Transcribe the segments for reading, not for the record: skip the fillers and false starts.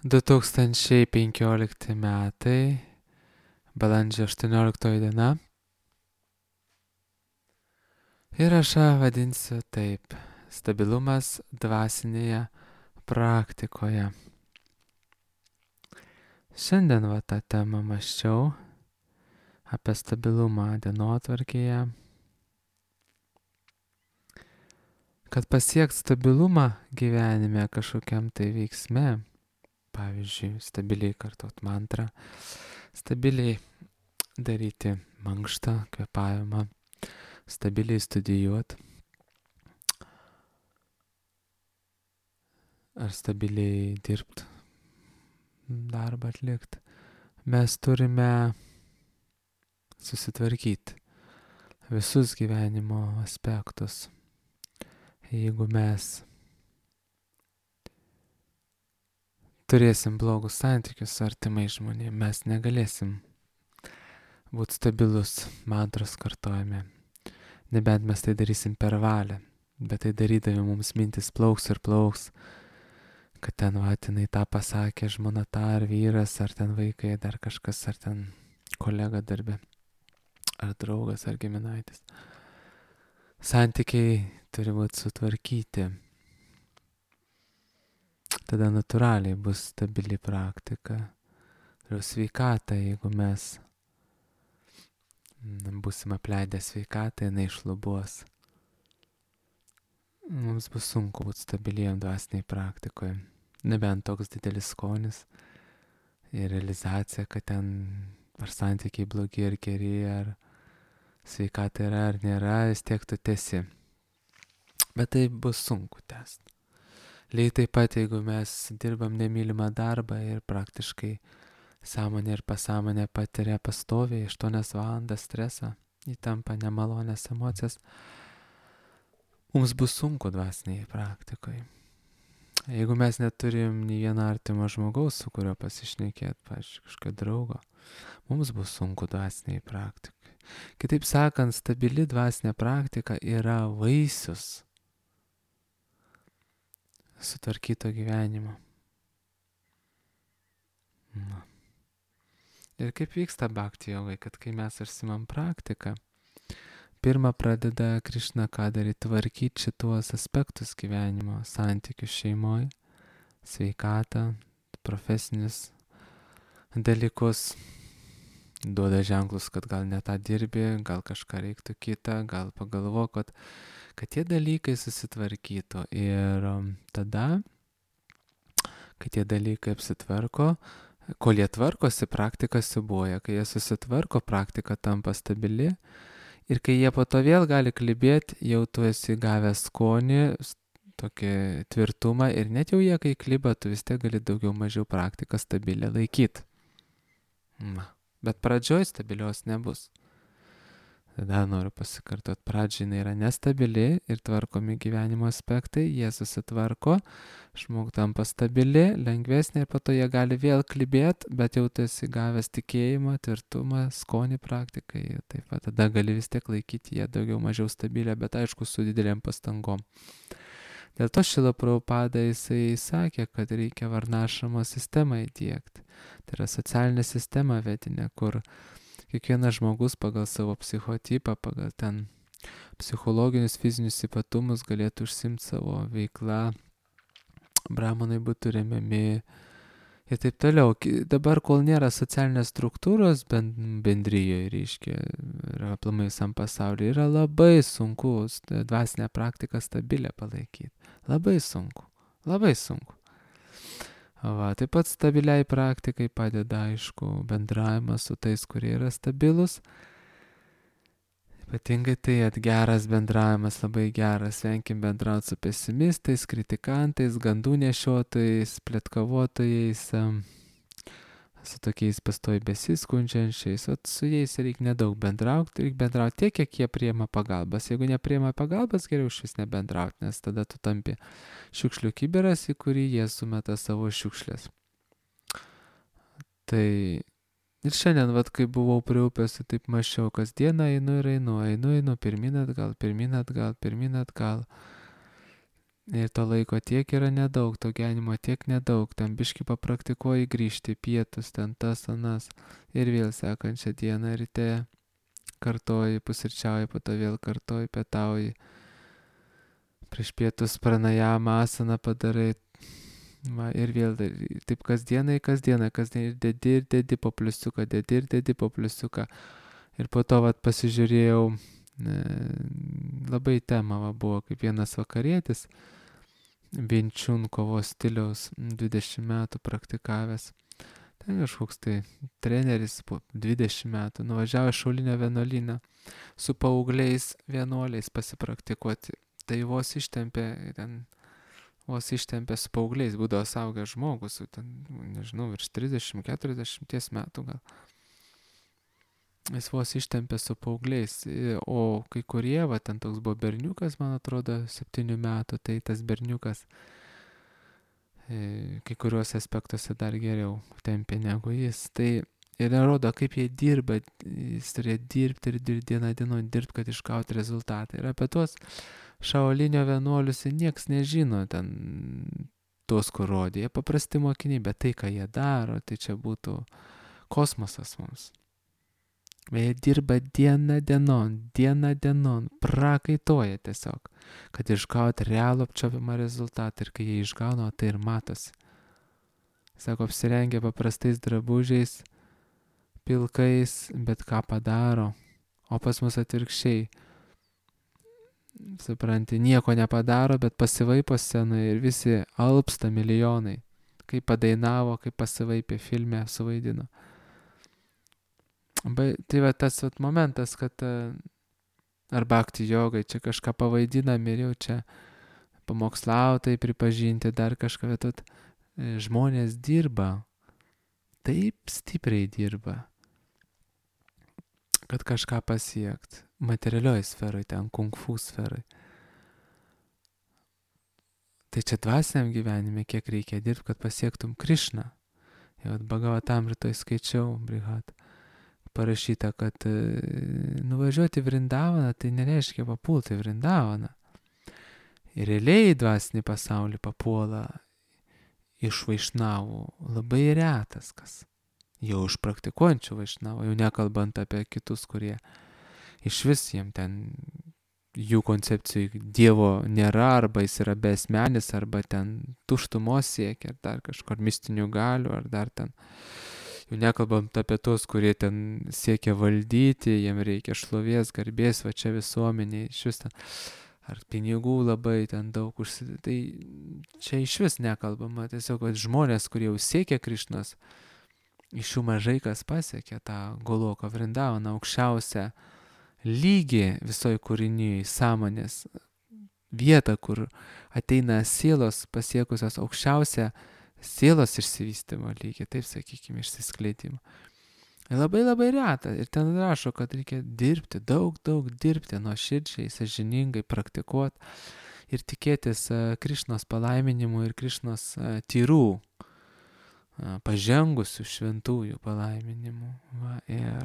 2015 metai, balandžio 18 diena. Įrašą vadinsiu taip: stabilumas dvasinėje praktikoje. Šiandien tą temą mąsčiau apie stabilumą dienotvarkėje. Kad pasiekt stabilumą gyvenime kažkokiam tai veiksme, pavyzdžiui, stabiliai kartot mantrą, stabiliai daryti mankštą, kvėpavimą, stabiliai studijuoti ar stabiliai dirbti, darbą atlikti, mes turime susitvarkyti visus gyvenimo aspektus. Jeigu mes turėsim blogus santykius su artimais žmonėmis, mes negalėsim būti stabilus mantros kartojime. Nebent mes tai darysim per valią, bet tai darydami mums mintis plauks ir plauks, kad ten jinai tą pasakė, žmona tą, ar vyras, ar ten vaikai, dar kažkas, ar ten kolega darbe, ar draugas, ar giminaitis. Santykiai turi būti sutvarkyti. Tada natūraliai bus stabili praktika. Ir sveikata, jeigu mes būsim apleidę sveikatą, jinai išlubuos. Mums bus sunku būti stabiliem dvasiniai praktikoje. Nebent toks didelis skonis ir realizacija, kad ten ar santykiai blogi ar geri, ar sveikata yra ar nėra, vis tiek tu tęsi. Bet tai bus sunku tęsti. Lygiai taip pat, jeigu mes dirbam nemylimą darbą ir praktiškai sąmonė ir pasąmonė patiria pastoviai 8 valandas stresą, įtampa, nemalonės emocijas, mums bus sunku dvasiniai praktikoje. Jeigu mes neturim nei vieno artimo žmogaus, su kurio pasišnekėt, pavyzdžiui, kažkokio draugo, mums bus sunku dvasiniai praktikai. Kitaip sakant, stabili dvasinė praktika yra vaisius sutvarkyto gyvenimo. Ir kaip vyksta bhakti jogai, kad kai mes užsimam praktiką, pirmą pradeda Krišna ką daryti, tvarkyti šituos aspektus gyvenimo, santykius šeimoje, sveikatą, profesinius dalykus, duoda ženklus, kad gal ne tą dirbi, gal kažką reiktų kitą, gal pagalvok, kad tie dalykai susitvarkytų. Ir tada, kai tie dalykai apsitvarko, kol jie tvarkosi, praktika siūbuoja. Kai jie susitvarko, praktika tampa stabili. Ir kai jie po to vėl gali klibėti, jau tu esi gavęs skonį, tokį tvirtumą. Ir net jau jie, kai kliba, tu vis tiek gali daugiau mažiau praktiką stabilią laikyti. Bet pradžioj stabilios nebus. Tada noriu pasikartot, pradžiai jinai yra nestabili ir tvarkomi gyvenimo aspektai, jie susitvarko, žmogus tampa stabili, lengvesnė ir po to jie gali vėl klibėti, bet jau tu esi gavęs tikėjimą, tvirtumą, skonį praktikai, taip pat tada gali vis tiek laikyti ją daugiau mažiau stabilę, bet aišku su didelėm pastangom. Dėl to Šrila Prabhupada jisai sakė, kad reikia varnašramo sistemą įdiegti. Tai yra socialinė sistema vedinė, kur kiekvienas žmogus pagal savo psichotipą, pagal ten psichologinius, fizinius ypatumus galėtų užsimti savo veiklą, brahmanai būtų remiami ir taip toliau. Dabar, kol nėra socialinės struktūros bendryjoje, reiškia, ir aplamai visam pasaulyje, yra labai sunku dvasinę praktiką stabilę palaikyti. Labai sunku, labai sunku. Taip pat stabiliai praktikai padeda, aišku, bendravimas su tais, kurie yra stabilus. Ypatingai tai geras bendravimas, labai geras. Venkim bendrauti su pesimistais, kritikantais, gandų nešiotojais, pletkavotojais, su tokiais pastoviai besiskundžiančiais. Su jais reikia nedaug bendrauti, reikia bendrauti tiek, kiek jie priima pagalbas. Jeigu nepriima pagalbas, geriau šis nebendrauti, nes tada tu tampi šiukšlių kibiras, į kurį jie sumeta savo šiukšlės. Tai ir šiandien, kai buvau prie upės, taip mąsčiau, kasdieną einu, pirmyn atgal. Ir to laiko tiek yra nedaug, to gyvenimo tiek nedaug, ten biški papraktikuoji grįžti pietus, ten tas, anas. Ir vėl sekančią dieną ryte kartoji, pusryčiauji, po to vėl kartoji, pietauji. Prieš pietus pranajamą asaną padarai. Va, ir vėl taip kasdieną, dedi po pliusiuką, dedi po pliusiuką. Ir po to vat pasižiūrėjau, labai tema buvo, kaip vienas vakarietis, Vinčiun kovos stiliaus 20 metų praktikavęs. Ten kažkoks tai treneris po 20 metų nuvažiavo šaulinio vienuolyną su paaugliais vienuoliais pasipraktikuoti. Tai vos ištempė su paaugliais, būdavo saugęs žmogus, ten, nežinau, virš 30-40 metų gal. Jis vos ištempė su paaugliais, o kai kurie, va, ten toks buvo berniukas, man atrodo, 7 metų, tai tas berniukas kai kuriuos aspektuose dar geriau tempė negu jis. Tai ir rodo, kaip jie dirba, jis turėjo dirbti ir dieną dirbti, kad išgauti rezultatą. Ir apie tuos šaolinio vienuolius nieks nežino, ten tuos, kur rodė. Jie paprasti mokiniai, bet tai, ką jie daro, tai čia būtų kosmosas mums. Jie dirba diena dienon, prakaitoja tiesiog, kad išgauti realų apčiuopiamą rezultatą. Ir kai jie išgauna, tai ir matosi. Sako, apsirengia paprastais drabužiais, pilkais, bet ką padaro. O pas mus atvirkščiai. Supranti, nieko nepadaro, bet pasivaipo scenoje ir visi alpsta milijonai. Kaip padainavo, kaip pasivaipė filme, suvaidino. Tai va tas momentas, kad ar bhakti jogai čia kažką pavaidinam ir jau čia pamokslautai pripažinti, dar kažką, bet žmonės dirba, taip stipriai dirba, kad kažką pasiekt materialioj sferoj, ten kung fu sferoj. Tai čia dvasiniam gyvenime kiek reikia dirbti, kad pasiektum Krišną. Jau Bhagavatam rytoj skaičiau, Brihat, parašyta, kad nuvažiuoti Vrindavaną, tai nereiškia papulti Vrindavaną. Ir realiai dvasinį pasaulį papuola iš vaišnavų labai retas kas. Jau iš praktikuojančių vaišnavų, jau nekalbant apie kitus, kurie iš vis jiem ten jų koncepcijų Dievo nėra, arba jis yra besmenis, arba ten tuštumos siekia, ar dar kažkur mistinių galių, ar dar ten. Jau nekalbant apie tos, kurie ten siekia valdyti, jiem reikia šlovės, garbės, va čia visuomeniai, iš vis ten, ar pinigų labai ten daug užsidėti. Tai čia iš vis nekalbama, tiesiog žmonės, kurie jau siekia Krišnos, iš jų mažai kas pasiekia tą Goloką Vrindavaną, aukščiausią lygį visoje kūrinyje, sąmonės vietą, kur ateina sielos pasiekusios aukščiausią sielos išsivystymo lygį, taip sakykime, išsiskleidimo. Labai labai reta. Ir ten rašo, kad reikia dirbti, daug dirbti, nuoširdžiai, sąžiningai praktikuoti ir tikėtis Krišnos palaiminimų ir Krišnos tyrų, pažengusių šventųjų palaiminimų. Va, ir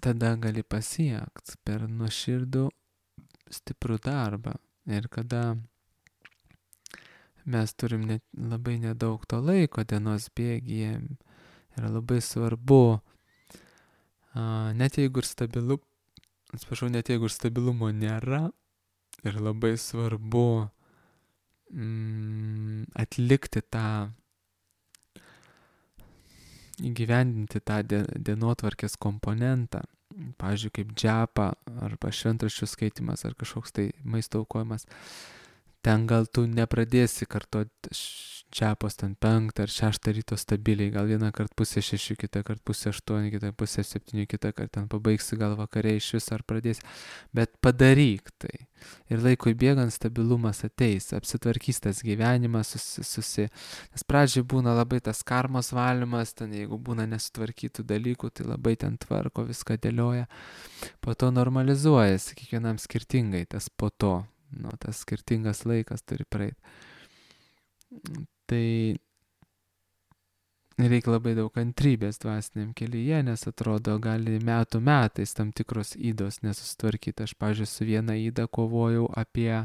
tada gali pasiekti per nuoširdų stiprų darbą. Ir kada mes turim labai nedaug to laiko dienos bėgyje, yra labai svarbu, net jeigu ir stabilumo nėra, ir labai svarbu atlikti tą, įgyvendinti tą dienotvarkės komponentą, pavyzdžiui, kaip džapa, arba šventraščių skaitimas, ar kažkoks tai maisto aukojimas. Ten gal tu nepradėsi kartoti džapos ten 5 ar 6 ryto stabiliai, gal vieną kart 5:30, kitą kart 5:08, kitą 5:07, kitą kart ten pabaigsi gal vakare iš vis ar pradėsi, bet padaryk tai. Ir laikui bėgant stabilumas ateis, apsitvarkys tas gyvenimas, nes pradžiai būna labai tas karmos valymas, ten jeigu būna nesutvarkytų dalykų, tai labai ten tvarko, viską dėlioja, po to normalizuojasi, kiekvienam skirtingai tas po to. Tas skirtingas laikas turi praeiti. Tai reikia labai daug kantrybės dvasiniam kelyje, nes atrodo, gali metų metais tam tikros ydos nesusitvarkyti. Aš, pavyzdžiui, su viena yda kovojau apie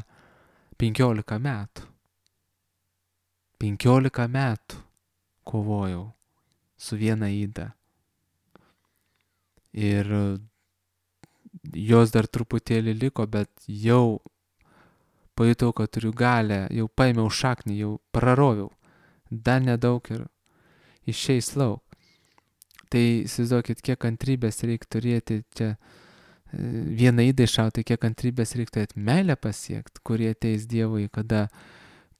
15 metų. 15 metų kovojau su viena yda. Ir jos dar truputėlį liko, bet jau pajutau, kad turiu galę, jau paėmiau šaknį, jau praroviau. Dar nedaug ir išeis lauk. Tai įsivaizduokit, kiek kantrybės reikia turėti čia vieną ydą iššauti, kiek kantrybės reikia turėti meilę pasiekti, kurie ateis Dievui, kada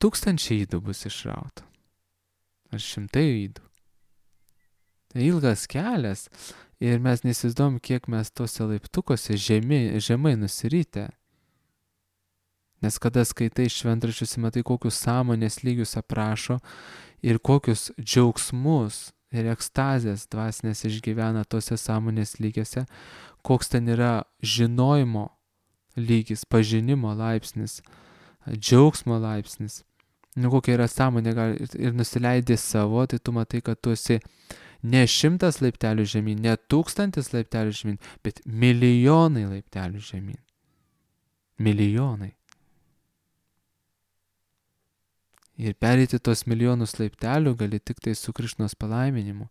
1000 ydų bus išrauta. Ar 100 ydų. Tai ilgas kelias ir mes neįsivaizduojam, kiek mes tose laiptukose žemai nusirytę. Nes kada skaitai šventraščius, matai, kokius sąmonės lygius aprašo ir kokius džiaugsmus ir ekstazės dvasinės išgyvena tose sąmonės lygiuose, koks ten yra žinojimo lygis, pažinimo laipsnis, džiaugsmo laipsnis. Nu, kokia yra sąmonė ir nusileidė savo, tai tu matai, kad tu esi ne 100 laiptelių žemyn, ne 1000 laiptelių žemyn, bet milijonai laiptelių žemyn. Milijonai. Ir pereiti tos milijonus laiptelių gali tik tai su Krišnos palaiminimu,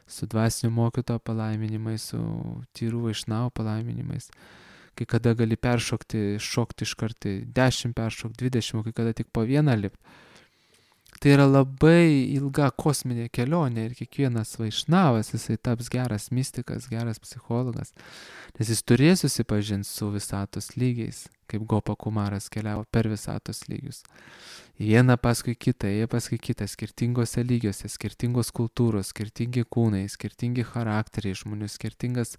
su dvasinio mokytojo palaiminimais, su tyrų vaišnavo palaiminimais. Kai kada gali šokti iš karto 10 peršokti, 20, kai kada tik po vieną lipti. Tai yra labai ilga kosminė kelionė ir kiekvienas vaišnavas, jisai taps geras mistikas, geras psichologas, nes jis turės susipažinti su visatos lygiais, kaip Gopa Kumaras keliavo per visatos lygius. Vieną paskui kitą, skirtingose lygiuose, skirtingos kultūros, skirtingi kūnai, skirtingi charakteriai žmonių, skirtingas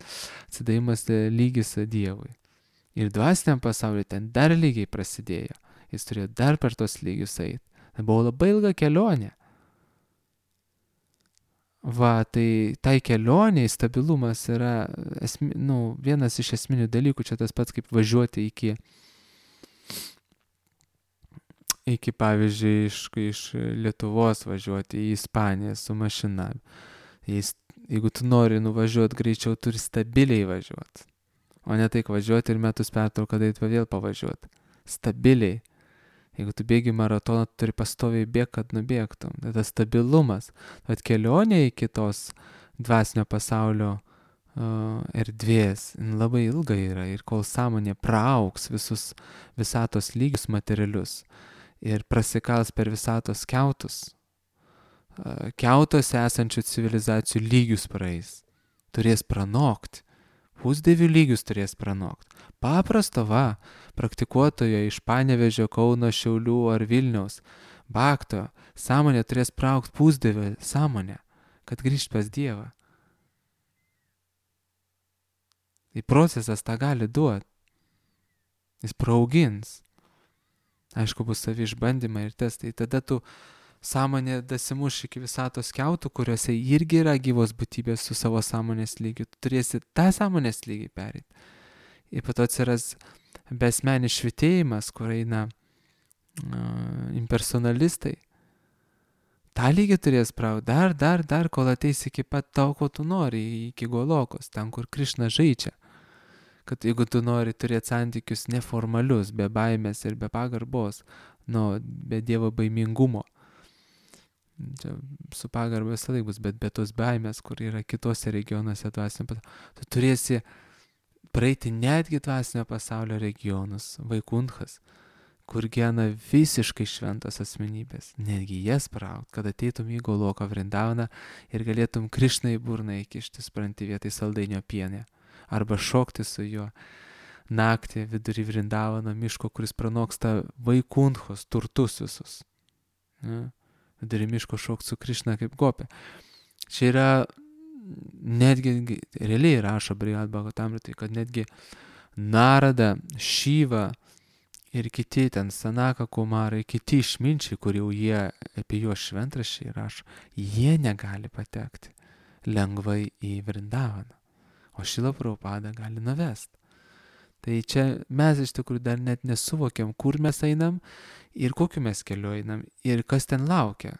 atsidavimas lygis Dievui. Ir dvasiniam pasauliu ten dar lygiai prasidėjo, jis turėjo dar per tos lygius eiti. Tai buvo labai ilga kelionė. Va, tai kelioniai stabilumas yra vienas iš esminių dalykų, čia tas pats kaip važiuoti iki pavyzdžiui, iš Lietuvos važiuoti į Ispaniją su mašina. Jeigu tu nori nuvažiuoti greičiau, turi stabiliai važiuoti. O ne taip važiuoti ir metus pertrauką daryti, vėl pavažiuoti. Stabiliai. Jeigu tu bėgi maratoną, tu turi pastoviai bėgti, kad nubėgtum. Tai tas stabilumas. Bet kelionė iki tos dvasinio pasaulio erdvės labai ilga yra. Ir kol sąmonė praaugs visatos lygius materialius ir prasikals per visatos kiautus, kiautuose esančių civilizacijų lygius praeis. Turės pranokti. Pusdievių lygius turės pranokti. Paprasto praktikuotojo iš Panevėžio, Kauno, Šiaulių ar Vilniaus bakto sąmonė turės praaugti pusdievio sąmonę, kad grįžt pas Dievą. Tai procesas tą gali duoti. Jis praaugins. Aišku, bus savi išbandymai ir testai. Tada tu sąmonė dasimuš iki visatos kiautų, kuriuose irgi yra gyvos būtybės su savo sąmonės lygiu. Tu turėsi tą sąmonės lygį pereiti. Ir po to atsiras besmenis švitėjimas, kur eina impersonalistai. tą lygį turės praut, dar, kol ateis iki pat to, ko tu nori, iki Golokos, ten, kur Krišna žaidžia. Kad jeigu tu nori turėti santykius neformalius, be baimės ir be pagarbos, be Dievo baimingumo, čia su pagarba visą laiką bus, bet be tos baimės, kur yra kitose regionuose dvasinio pasaulio, tu turėsi praeiti netgi dvasinio pasaulio regionus, Vaikunthas, kur gyvena visiškai šventos asmenybės, netgi jas praut, kad ateitum į Goloką Vrindavaną ir galėtum Krišnai burną įkišti, supranti, vietoj saldainio pienė, arba šokti su juo naktį vidury Vrindavano miško, kuris pranoksta Vaikunthos turtus visus. Vidury miško šokti su Krišna kaip gopė. Čia yra netgi, realiai rašo Brihad Bhagavatamritai, kad netgi Narada, Šiva ir kiti ten Sanaka Kumarai, kiti išminčiai, kur jau jie apie juos šventraščiai rašo, jie negali patekti lengvai į Vrindavaną, o Šrila Prabhupada gali nuvesti. Tai čia mes iš tikrųjų dar net nesuvokiam, kur mes einam ir kokiu mes keliu einam ir kas ten laukia.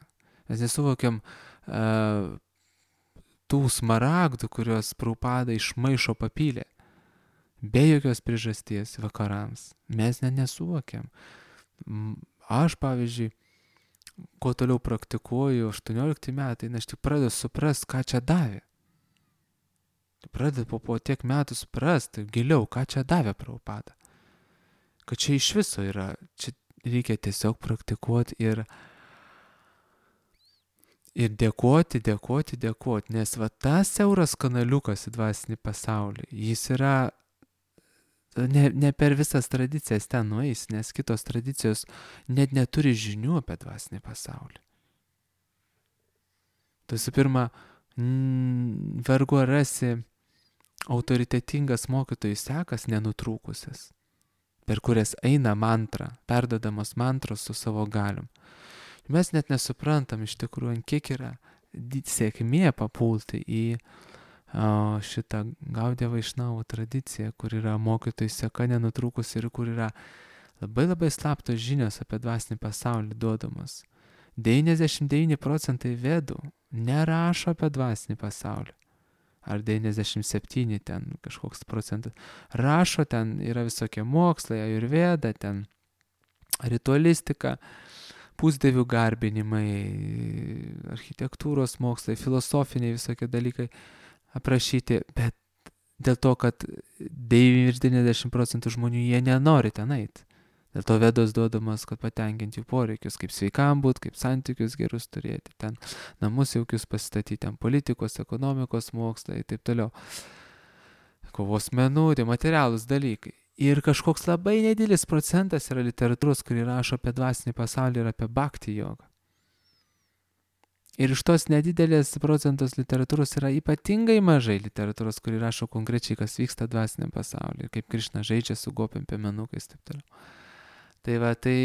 Mes nesuvokiam tų smaragdų, kuriuos Prabhupada iš maišo papylė. Be jokios priežasties vakarams. Mes nesuvokiam. Aš, pavyzdžiui, kuo toliau praktikuoju, 18 metai, aš tik pradedu suprast, ką čia davė. Pradedu po tiek metų suprast giliau, ką čia davė Prabhupada. Kad čia iš viso yra, čia reikia tiesiog praktikuoti ir dėkoti, nes va tas siauras kanaliukas į dvasinį pasaulį, jis yra ne per visas tradicijas ten nueis, nes kitos tradicijos net neturi žinių apie dvasinį pasaulį. Tai visų pirma, vargu ar rasi autoritetingas mokytojų sekas nenutrūkusias, per kurias eina mantra, perdodamos mantros su savo galiom. Mes net nesuprantam iš tikrųjų, kiek yra sėkmė papulti į šitą Gaudiją Vaišnavų tradiciją, kur yra mokytojų seka nenutrūkusi ir kur yra labai labai slaptos žinios apie dvasinį pasaulį duodamas. 99% vedų nerašo apie dvasinį pasaulį. Ar 97 ten kažkoks procentas. Rašo, ten yra visokie mokslai, ajurveda, ten ritualistika, pusdievių garbinimai, architektūros mokslai, filosofiniai visokie dalykai aprašyti, bet dėl to, kad 90% žmonių jie nenori ten eiti. Dėl to vedos duodamas, kad patenkinti jų poreikius, kaip sveikam būt, kaip santykius gerus turėti, ten namus jaukius pasistatyti, ten politikos, ekonomikos mokslai ir taip toliau. Kovos menų, tai materialūs dalykai. Ir kažkoks labai nedidelis procentas yra literatūros, kuri rašo apie dvasinį pasaulį ir apie bhakti jogą. Ir iš tos nedidelės procentos literatūros yra ypatingai mažai literatūros, kuri rašo konkrečiai, kas vyksta dvasiniam pasaulyje, kaip Krišna žaidžia su gopiam piemenukais ir taip toliau. Tai va, tai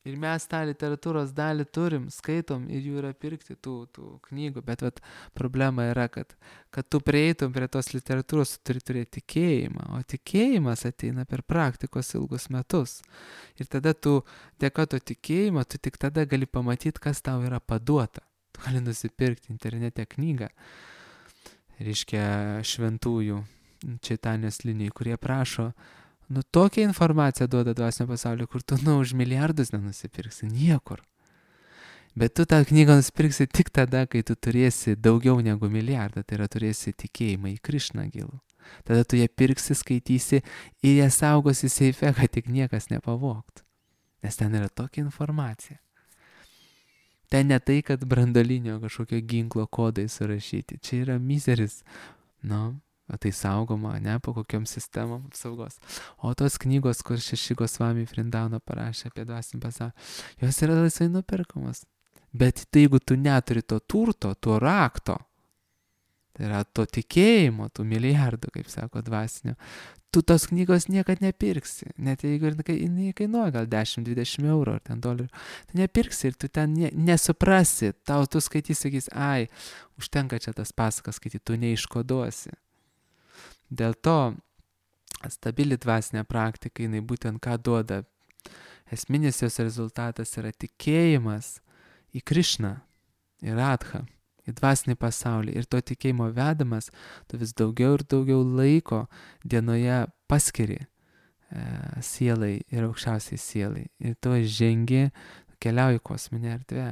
ir mes tą literatūros dalį turim, skaitom ir jų yra pirkti tų knygų, bet vat, problema yra, kad tu prieitum prie tos literatūros, tu turi turėti tikėjimą, o tikėjimas ateina per praktikos ilgus metus. Ir tada tu, dėka to tikėjimo, tu tik tada gali pamatyti, kas tau yra paduota. Tu gali nusipirkti internete knygą, reiškia šventųjų Čaitanijos linijų, kurie prašo, tokią informaciją duoda dvasinio pasaulio, kur tu už milijardus nenusipirksi, niekur. Bet tu tą knygą nusipirksi tik tada, kai tu turėsi daugiau negu milijardą, tai yra turėsi tikėjimą į Krišną gilų. Tada tu ją pirksi, skaitysi ir ją saugosi seife, kad tik niekas nepavogtų. Nes ten yra tokia informacija. Ten ne tai, kad branduolinio kažkokio ginklo kodai surašyti. Čia yra mizeris. Tai saugoma, ne po kokiom sistemom apsaugos. O tos knygos, kur Šeši Gosvami Vrindavano parašė apie dvasinį pasaulį, jos yra laisvai nuperkamos. Bet tai, jeigu tu neturi to turto, to rakto, tai yra to tikėjimo, tų milijardų, kaip sako dvasinio, tu tos knygos niekad nepirksi. Net jeigu jinai kainuoja gal 10-20 eurų ar ten dolerių, tu nepirksi ir tu ten nesuprasi. Tau tu skaitysi, sakys, užtenka čia tas pasakas skaityti, tu neiškoduosi. Dėl to stabili dvasinė praktika, jinai būtent ką duoda. Esminis jos rezultatas yra tikėjimas į Krišną, į Radhą, į dvasinį pasaulį. Ir to tikėjimo vedamas, tu vis daugiau ir daugiau laiko dienoje paskiri sielai ir aukščiausiai sielai. Ir tu žengi, keliauji kosminę erdvę.